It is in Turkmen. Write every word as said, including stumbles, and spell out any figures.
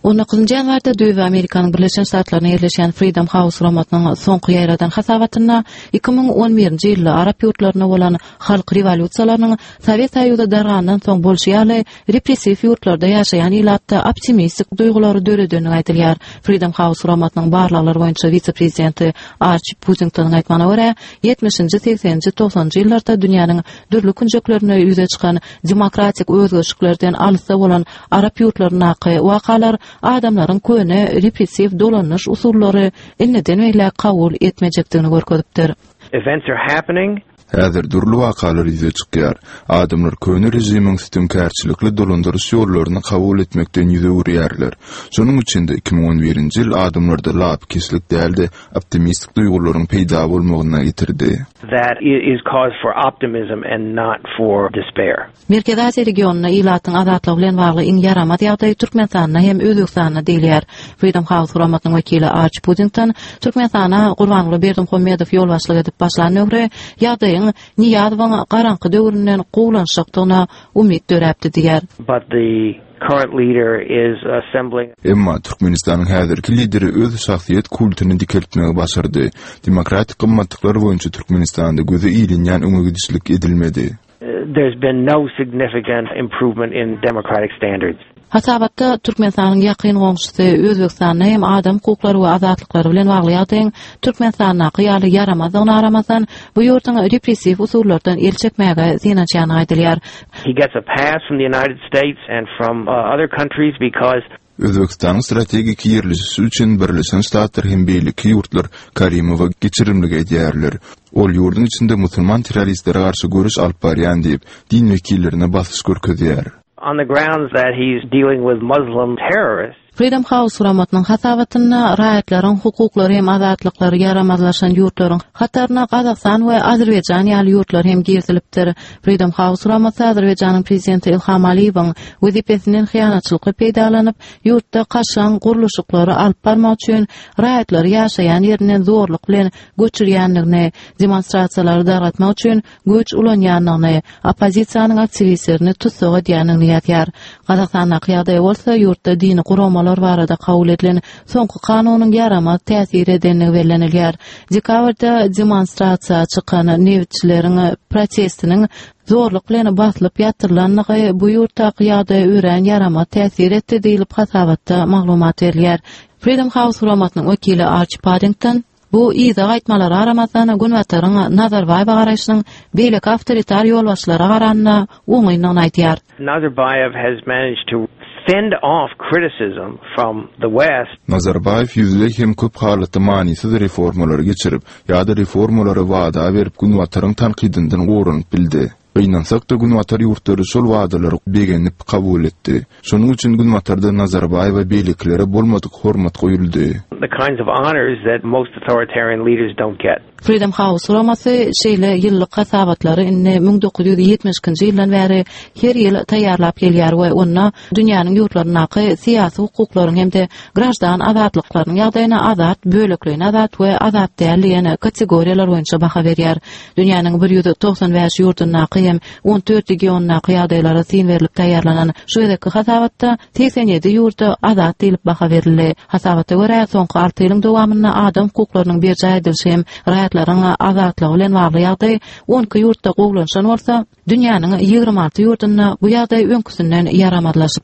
On dokuzunjy ýanwarda Düýbi Amerikanyň Birleşen Ştatlarynda ýerleşýän Freedom House guramasynyň soňky ýaýradan hasabatynda iki müň on birinji ýylda arap ýurtlarynda bolan halk rewolýusiýalarynyň Sowet Soýuzy dargandan soň bolşy ýaly repressiw ýurtlarda ýaşaýan ilatda optimistik duýgulary döredendigi aýdylýar. Freedom House guramasynyň barlaglar boýunça wise-prezidenti Arçi Puddingtonyň aýtmagyna görä, ýetmişinji, segseninji, togsanynjy ýyllarda dünýäniň dürli künjeklerinde ýüze çykan demokratik özgerişliklerden alysda bolan arap ýurtlaryndaky wakalar adamlaryň köne repressiw dolanyş usullary indiden beýläk kabul etmejekdigini görkezipdir. Events are happening. Häzir dürli wakalar ýüze çykýar. Adamlar köne režimiň sütümkärçilikli dolandyryş ýollaryny kabul etmekden ýüz öwürýärler. Şonuň üçin-de iki müň on birinji ýyl adamlarda lapykeçlik däl-de optimistik duýgularyň peýda bolmagyna getirdi. That is cause for optimism and not for despair. Merkezi Aziýa regionynda ilatyň azatlygy bilen bagly iň ýaramaz ýagdaý Türkmenistanda hem Özbegistanda diýilýär. Freedom House guramasynyň wekili Arç Puddington Türkmenistana Gurbanguly Berdimuhamedow ýolbaşçylyk edip başlan döwri ýagdaýyň Nyýazowyň garaňky döwründen gowulanşakdygyna umyt döräpdi diýýär. But the current leader is assembling. Emma Türkmenistanyň häzirki lideri öz şahsyýet kultuny dikeltmegi başardy. Demokratik gymmatlyklar boýunça Türkmenistanda göze ilinýän öňe gidişlik edilmedi. There's been no significant improvement in democratic standards. Hasabatda Türkmenistanyň ýakyn goňşusy Özbegistanda hem adam hukuklary we azatlyklary bilen bagly ýagdaýyň Türkmenistandaky ýaly ýaramazdygyna garamazdan, bu ýurduň repressiw usullardan el çekmäge synanyşýany aýdylýar. He gets a pass from the United States and from, uh, other countries because Özbegistanyň strategik ýerleşişi üçin Birleşen Ştatlar hem beýleki ýurtlar Karimowa geçirimlik edýärler. Ol ýurduň içinde musulman terroristlere garşy göreş alyp barýan diýip, din wekillerine basyş görkezýär. On the grounds that he's dealing with Muslim terrorists. Freedom House guramasynyň hasabatynda raýatlaryň hukuklary hem azatlyklary ýaramazlaşan ýurtlaryň hataryna Gazagystan we Azerbaýjan ýaly ýurtlar hem girizilipdir. Freedom House guramasy Azerbaýjanyň prezidenti Ilham Aliýewiň wezipesinden hyýanatçylykly peýdalanyp, ýurtda kaşaň gurluşyklary alyp barmak üçin raýatlary ýaşaýan ýerinden zorluk bilen göçürýändigini, demonstrasiýalary dargatmak üçin güýç ulanýandygyny, oppozisiýanyň aktiwistlerini tussag edýändigini ýazýar. Gazagystandaky ýagdaý bolsa ýurtda dini guramalar barada kabul edilen soňky kanunyň ýaramaz täsir edenligi bellenilýär. Dekabrda demonstrasiýa çykan nebitçileriň protestiniň zorluk bilen basylyp ýatyrylandygy bu ýurtdaky ýagdaýa örän ýaramaz täsir etdi diýlip hasabatda maglumat berilýär. Freedom House guramasynyň wekili Archie Paddington bu yza gaýtmalara garamazdan Günbataryň Nazarbaýewa garaýşynyň beýleki awtoritar ýolbaşçylara garanda oňyndygyny aýdýar. Nazarbayev has managed to fend off criticism from the West. Nazarbaýew ýüzleý hem köp halatda manysyz reformalary geçirip, ýa-da reformalary wada berip Günbataryň tankydyndan goranyp bildi. Gynansak-da Günbatar ýurtlary şol wadalary begenip kabul etdi. Şonuň üçin Günbatarda Nazarbaýewa beýlekilere bolmadyk hormat goýuldy. The kinds of honors that most authoritarian leaders don't get. Freedom House guramasy şeýle ýyllyk hasabatlary indi müň dokuz ýüz ýetmiş ikinji ýyldan bäri her ýyl taýýarlap gelýär we onda dünýäniň ýurtlaryndaky syýasy hukuklaryň hem-de graždan azatlyklarynyň ýagdaýyna azat, bölekleýin azat we azat däl diýen kategoriýalar boýunça baha berýär. Dünýäniň bir ýüz togsan bäş ýurdundaky hem on dört regionyndaky ýagdaýlara syn berlip taýýarlanan şu gezekki hasabatda segsen ýedi ýurda azat diýlip baha berildi. Hasabata görä, soňky alty ýylyň dowamynda adam hukuklarynyň berjaý edilişi hem raýatlaryň azatlygy bilen bagly ýagdaý on iki ýurtda gowulanşan bolsa, dünýäniň ýigrimi alty ýurdunda bu ýagdaý öňküsinden ýaramazlaşypdyr.